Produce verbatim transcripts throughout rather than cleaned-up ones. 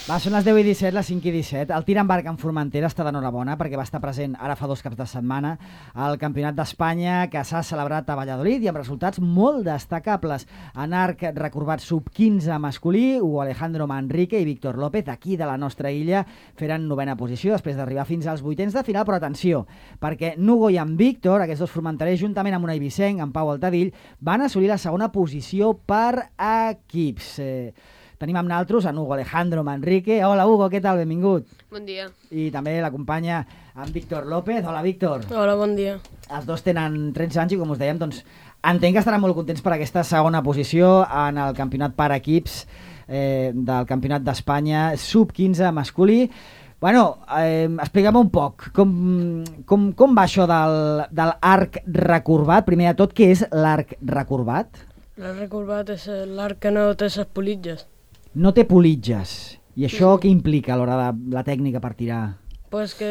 Va, són les deu i disset, les cinc i disset. El tir amb arc en Formentera està d'enhorabona perquè va estar present ara fa dos caps de setmana al Campionat d'Espanya que s'ha celebrat a Valladolid i amb resultats molt destacables. En arc recorbat sub quinze masculí, Hugo Alejandro Manrique i Víctor López, aquí de la nostra illa, feren novena posició després d'arribar fins als vuitens de final, però atenció, perquè Nugo i en Víctor, aquests dos formenterers, juntament amb un eivissenc, en Pau Altadill, van assolir la segona posició per equips. Eh, Tenim amb naltros en Hugo Alejandro Manrique. Hola, Hugo, què tal? Benvingut. Bon dia. I també l'acompanya en Víctor López. Hola, Víctor. Hola, bon dia. Els dos tenen tretze anys i, com us dèiem, doncs, entenc que estaran molt contents per aquesta segona posició en el campionat per equips eh, del Campionat d'Espanya sub quinze masculí. Bueno, eh, expliquem un poc com, com, com va això del, del arc recorbat. Primer de tot, què és l'arc recorbat? L'arc recorbat és l'arc que no té ses politges. No té politges. I això què implica a l'hora de la tècnica per tirar? Pues que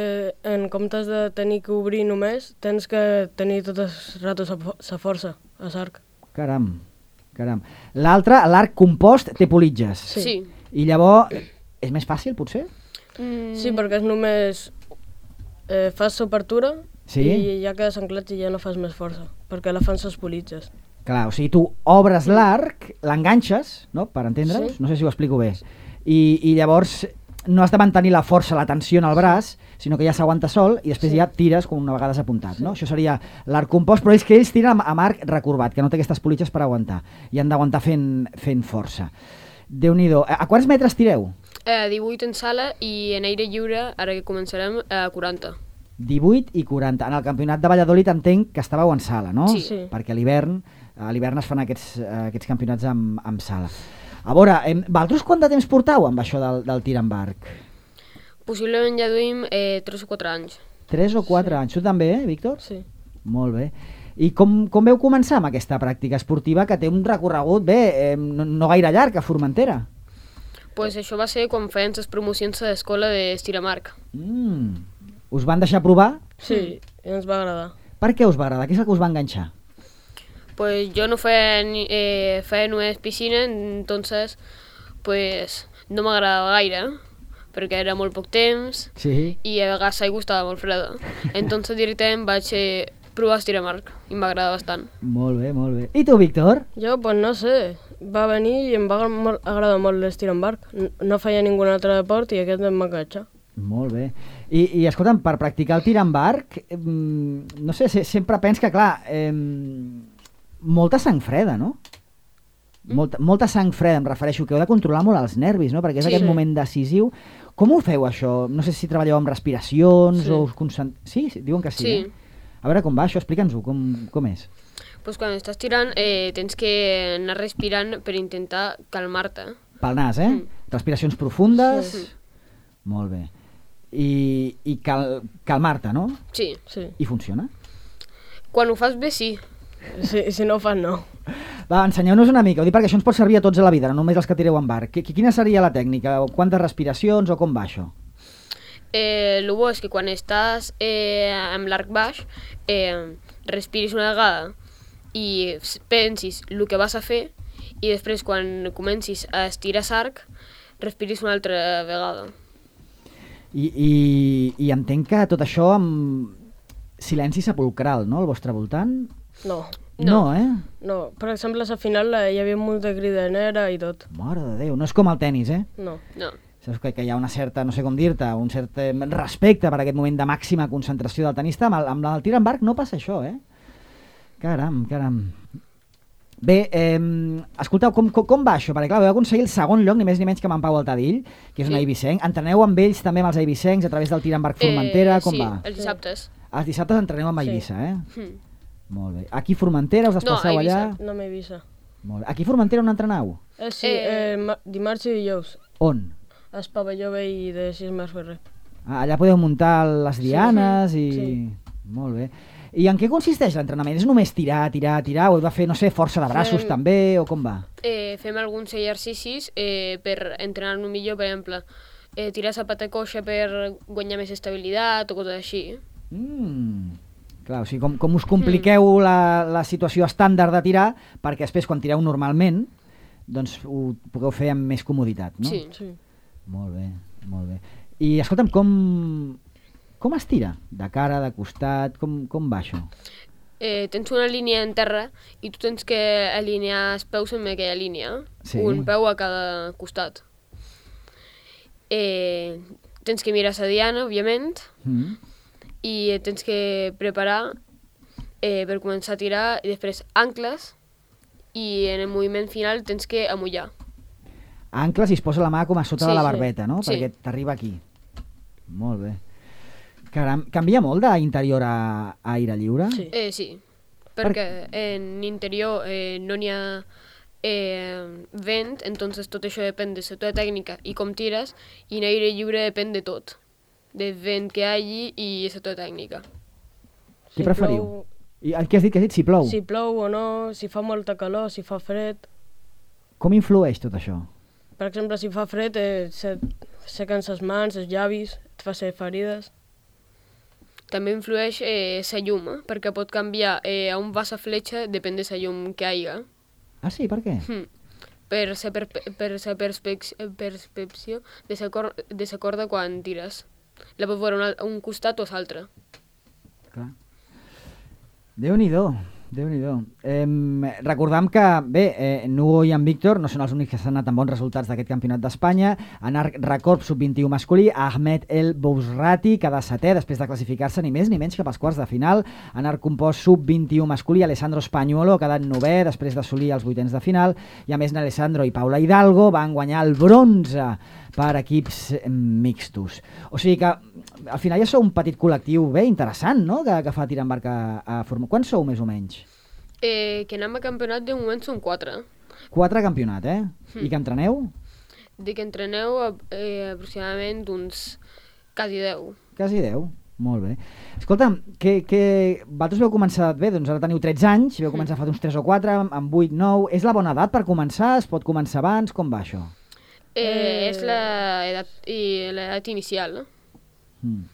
en comptes de tenir que obrir només, tens que tenir tot el rato sa força, a l'arc. Caram, caram. L'altre, l'arc compost, té politges. Sí. Sí. I llavors, és més fàcil, potser? Mm, Sí, perquè és només eh, fas l'obertura Sí? i ja quedes anclat i ja no fas més força, perquè la fan ses politges. Clar, o sigui, tu obres l'arc, l'enganxes, no?, per entendre'ns, Sí. no sé si ho explico bé, i, i llavors no has de mantenir la força, la tensió en el braç, sinó que ja s'aguanta sol i després Sí. ja tires com una vegada s'ha apuntat, no? Això seria l'arc compost, però és que ells tiren amb, amb arc recorbat, que no té aquestes politges per aguantar, i han d'aguantar fent, fent força. Déu-n'hi-do. A, a quants metres tireu? eh, divuit en sala i en aire lliure, ara que començarem, a quaranta. divuit i quaranta. En el campionat de Valladolid entenc que estàveu en sala, no? Sí. Sí. Perquè a l'hivern a l'hivern es fan aquests, eh, aquests campionats amb, amb sala. A veure, em, vosaltres quant de temps portau amb això del, del tir amb arc? Possiblement ja duim eh, tres o quatre anys. tres o quatre Sí. anys. Tu també, eh, Víctor? Sí. Molt bé. I com, com veu començar amb aquesta pràctica esportiva que té un recorregut, bé, eh, no, no gaire llarg, a Formentera? Pues això va ser quan feien les promocions a l'escola d'Estiramarc. Mm. Us van deixar provar? Sí, i ens va agradar. Per què us va agradar? Què és el que us va enganxar? Pues yo no feia, ni- eh, feia només piscina, entonces pues no m'agradava gaire, perquè era molt poc temps Sí. i a vegades l'aigua estava molt freda. Entonces directament vaig eh, provar Estiramarc i m'agrada bastant. Molt bé, molt bé. I tu, Víctor? Jo, pues no sé, va venir i em va agra- molt, agradar molt l'estir en barc. N- No feia ningun altre deport i aquest em va enganxar. Molt bé. I, i escolta'm, per practicar el tir amb arc, eh, no sé, se, sempre pens que, clar, eh, molta sang freda, no? Molta, molta sang freda, em refereixo, que heu de controlar molt els nervis, no? Perquè és Sí. aquest moment decisiu. Com ho feu, això? No sé si treballeu amb respiracions Sí. o us concent... Sí? sí? Diuen que sí, Sí. eh? A veure com va això, explica'ns-ho, com, com és? Pues quan estàs tirant eh, tens que anar respirant per intentar calmar-te. Pel nas, eh? Mm. Respiracions profundes... Sí. Molt bé. I, i cal, calmar-te, no? Sí. Sí. I funciona? Quan ho fas bé, sí. Si, si no ho fan, no. Va, ensenyeu-nos una mica, ho dic perquè això ens pot servir a tots a la vida, no només els que tireu amb arc. Qui- Quina seria la tècnica? Quantes respiracions o com va això? Eh, el bo és que quan estàs eh, amb l'arc baix, eh, respiris una vegada i s- pensis el que vas a fer i després quan comencis a estirar l'arc, respiris una altra vegada. I, i, i entenc que tot això amb silenci sepulcral, no?, al vostre voltant? No. No, eh? No, per exemple, a la final eh, hi havia molta cridanera i tot. Mare de Déu, no és com el tennis, eh? No. No. Saps que, que hi ha una certa, no sé com dir-te, un cert eh, respecte per aquest moment de màxima concentració del tenista. Amb el, amb el tir amb arc no passa això, eh? Caram, caram. Bé, eh, escolteu, com, com, com va això? Perquè clar, vau aconseguir el segon lloc, ni més ni menys que amb en Pau Altadill, que és un Sí. eivissenc. Entreneu amb ells també, amb els eivissencs, a través del tir amb arc Formentera, com sí, va? els dissabtes. Els dissabtes entreneu amb Sí. Eivissa, eh? Mm. Molt bé. Aquí a Formentera us desplaceu No, a allà? Eivissa. No m'he vist. Molt bé. Aquí a Formentera on entreneu? Eh, sí, Eh, eh, ma- dimarts i dijous. On? Al pavelló vell de sis Mas Ferrer. Ah, allà podeu muntar les dianes i... sí. Molt bé. I en què consisteix l'entrenament? És només tirar, tirar, tirar? O heu de fer, no sé, força de braços Fem- també? O com va? Eh, fem alguns exercicis eh, per entrenar-nos millor, per exemple, eh, tirar la pata coixa per guanyar més estabilitat o coses així. Mm. Clar, o sigui, com, com us compliqueu la, la situació estàndard de tirar perquè després quan tireu normalment doncs ho pugueu fer amb més comoditat, no? Sí. Sí. Molt bé, molt bé. I escolta'm, com, com es tira? De cara, de costat, com, com va això? Eh, tens una línia en terra i tu tens que alinear els peus en aquella línia, Sí. un peu a cada costat. Eh, tens que mirar la diana, òbviament, Mm. i tens que preparar eh, per començar a tirar, i després ancles, i en el moviment final tens que amollar. Ancles i es posa la mà com a sota Sí, de la sí. barbeta, no? Sí. Perquè t'arriba aquí. Molt bé. Caram, canvia molt d'interior a, a aire lliure? Sí. Eh, sí, perquè en interior eh, no n'hi ha eh, vent, entonces tot això depèn de la teva tècnica i com tires, i en aire lliure depèn de tot, del vent que hi hagi i la teva tècnica. Què preferiu? I què has dit? Què has dit? Si plou? Si plou o no, si fa molta calor, si fa fred. Com influeix tot això? Per exemple, si fa fred, eh, se sequen les mans, els llavis, et fa ser ferides. També influeix eh, la llum, eh? perquè pot canviar eh, a on va la fletxa, depèn de la llum que hi hagi. Ah, sí? Per què? Hmm. Per la per, per sa perspec percepció de la cor de sa corda quan tires. La pots veure un, un costat o l'altre. Clar. Déu-n'hi-do, Déu-n'hi-do. Eh, recordam que, bé, eh, Nugo i en Víctor no són els únics que s'han anat amb bons resultats d'aquest campionat d'Espanya. En arc recorb sub vint i u masculí, Ahmed El Bousrati queda setè després de classificar-se ni més ni menys cap als quarts de final. En arc compost sub vint i u masculí, Alessandro Spagnuolo ha quedat novè després d'assolir els vuitens de final, i a més Alessandro i Paula Hidalgo van guanyar el bronze per equips mixtos. O sigui que al final ja sou un petit col·lectiu bé interessant, no?, que, que fa tir en barca a, a formar. Quants sou més o menys? Eh, que anem a campionat de moment són quatre. Quatre campionat, eh? I que entreneu? De que entreneu eh, aproximadament uns quasi deu. Quasi deu. Molt bé. Escolta'm, que, que vosaltres veu començar bé, doncs ara teniu tretze anys, veu començar fa uns tres o quatre, amb vuit, nou... És la bona edat per començar? Es pot començar abans? Com va això? Eh, Eh. És l'edat i l'edat inicial, no? Mm.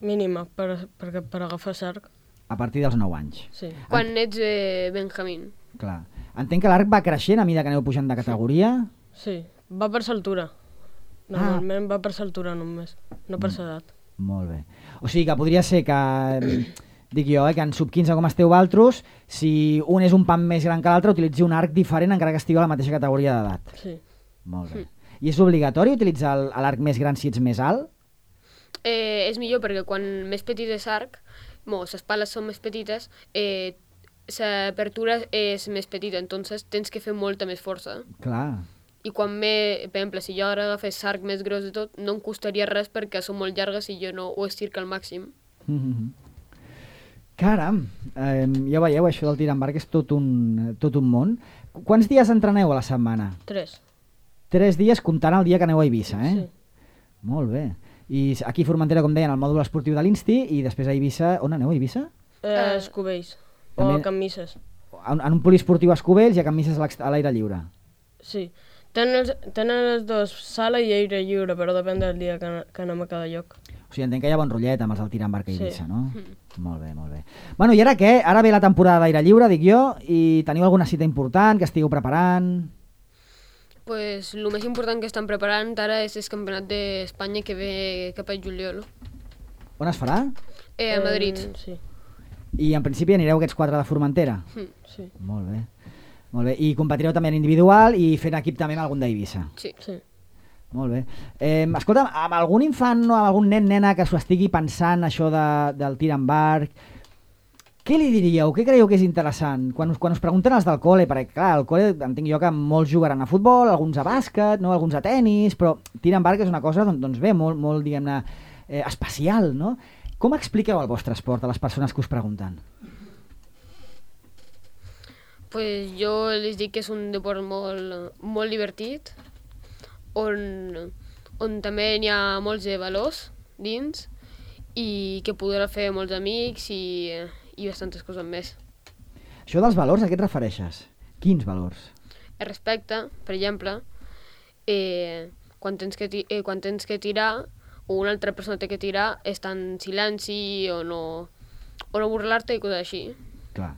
Mínima, per, per, per agafar sarc. A partir dels nou anys. Sí. Quan ets eh, Benjamín. Clar. Entenc que l'arc va creixent a mesura que aneu pujant de categoria. Sí. Va per s'altura. Normalment va per s'altura només, no per s'edat. Molt bé. O sigui que podria ser que, dic jo, eh, que en sub quinze com esteu valtros, si un és un pam més gran que l'altre, utilitzi un arc diferent encara que estigui a la mateixa categoria d'edat. Sí. Molt bé. I és obligatori utilitzar el- l'arc més gran si ets més alt? Eh, és millor perquè quan més petit és arc, bon, les pales són més petites, eh, l'apertura és més petita, entonces tens que fer molta més força. Clar. I quan me, per exemple, si jo ara agafés l'arc més gros de tot, no em costaria res perquè són molt llargues i jo no ho estirco al màxim. Mm-hmm. Caram, eh, ja veieu, això del tir amb arc és tot un, tot un món. Qu- Quants dies entreneu a la setmana? Tres. Tres dies comptant el dia que aneu a Eivissa, eh? Sí. Molt bé. I s- aquí a Formentera, com deien, el mòdul esportiu de l'Insti, i després a Eivissa... On aneu, a Eivissa? Eh, Eh, els cubells. O també- a Can Misses. En, en un poliesportiu a Escubells i a Can Misses a l'ex- a l'aire lliure. Sí. Tenen els, tenen els dos sala i aire lliure, però depèn del dia que, que anem a cada lloc. O sigui, entenc que hi ha bon rotllet amb els del tir amb arc a Sí. Eivissa, no? Molt bé, molt bé. Bueno, i ara què? Ara ve la temporada d'aire lliure, dic jo, i teniu alguna cita important que estigueu preparant? Pues el més important que estan preparant ara és el campionat d'Espanya que ve cap a juliol. On es farà? Eh, a Madrid. Eh, sí. I en principi anireu aquests quatre de Formentera? Mm. Sí. Molt bé. Molt bé. I competireu també en individual i fent equip també amb algun d'Eivissa. Sí. Sí. Molt bé. Eh, escolta, amb algun infant o amb algun nen, nena que s'ho estigui pensant això de, del tir amb arc, què li diríeu? Què creieu que és interessant? Quan us, quan us pregunten els del col·le, perquè clar, al col·le entenc jo que molts jugaran a futbol, alguns a bàsquet, no? Alguns a tennis, però tir amb arc és una cosa doncs, doncs bé, molt, molt diguem-ne, eh, especial, no? Com expliqueu el vostre esport a les persones que us pregunten? Pues jo les dic que és un deport molt, molt divertit, on, on també hi ha molts de valors dins i que podrà fer molts amics i, i bastantes coses més. Això dels valors, a què et refereixes? Quins valors? El respecte, per exemple, eh, quan, tens que ti eh, quan tens que tirar o una altra persona té que tirar, estar en silenci o no, o no burlar-te i coses així. Clar.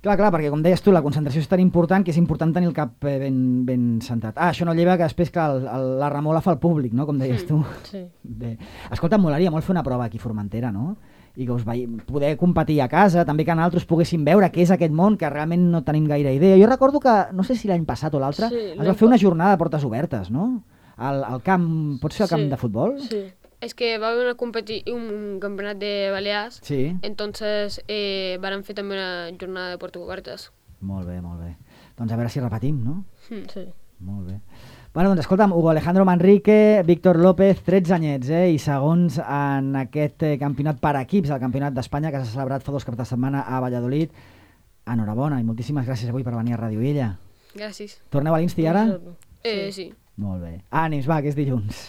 Clar, clar, perquè com deies tu, la concentració és tan important que és important tenir el cap eh, ben, ben centrat. Ah, això no lleva que després que el, el, la remola fa el públic, no?, com deies tu. Sí. Bé. Escolta, em molaria molt fer una prova aquí a Formentera, no? I que us vei... poder competir a casa, també que nosaltres poguéssim veure què és aquest món, que realment no tenim gaire idea. Jo recordo que, no sé si l'any passat o l'altre, Sí, es va l'any fer una pa- jornada de portes obertes, no? Al, al camp, pot ser al camp Sí, de futbol? Sí. Es que va a haber una competi un campeonato de Baleares, Sí. entonces eh, van a fer també una jornada de Porto Obertes. Molt bé, molt bé. Doncs a veure si repetim, no? Mm. Sí. Molt bé. Bueno, doncs escolta'm, Hugo Alejandro Manrique, Víctor López, tretze anyets, eh? I segons en aquest eh, campionat per equips, el Campionat d'Espanya, que s'ha celebrat fa dos caps de setmana a Valladolid. Enhorabona i moltíssimes gràcies avui per venir a Ràdio Illa. Gràcies. Torneu a l'Insti ara? Eh, sí. Molt bé. Ànims, va, que és dilluns.